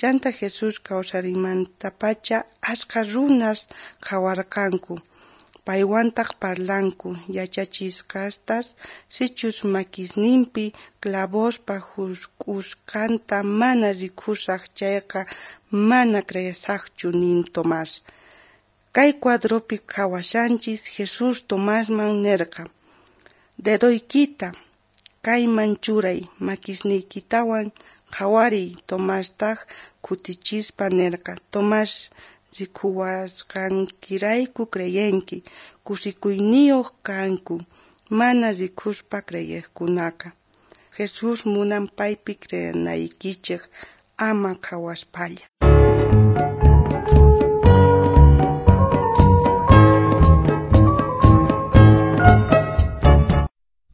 Chanta Jesús kawsariymantapacha ashqa runas qhawarqanku, paywantaj parlanku. Yachachisqastaj sichus makisnimpi clavospa jusk'usqanta mana rikusaj chayqa, mana creesajchu, nin Tomás. Kay cuadropi qhawashanchis Jesús Tomasman nerqa: Dedoykita kayman churay, makisniytawan qhawariy. Tomastaj kutichispa nerqa: Tomás, rikuwasqaykirayku creyenki. Kusikuyniyoj kanku mana rikuspa creyejkunaqa. Jesús munan paypi creenaykichej ama qhawaspalla.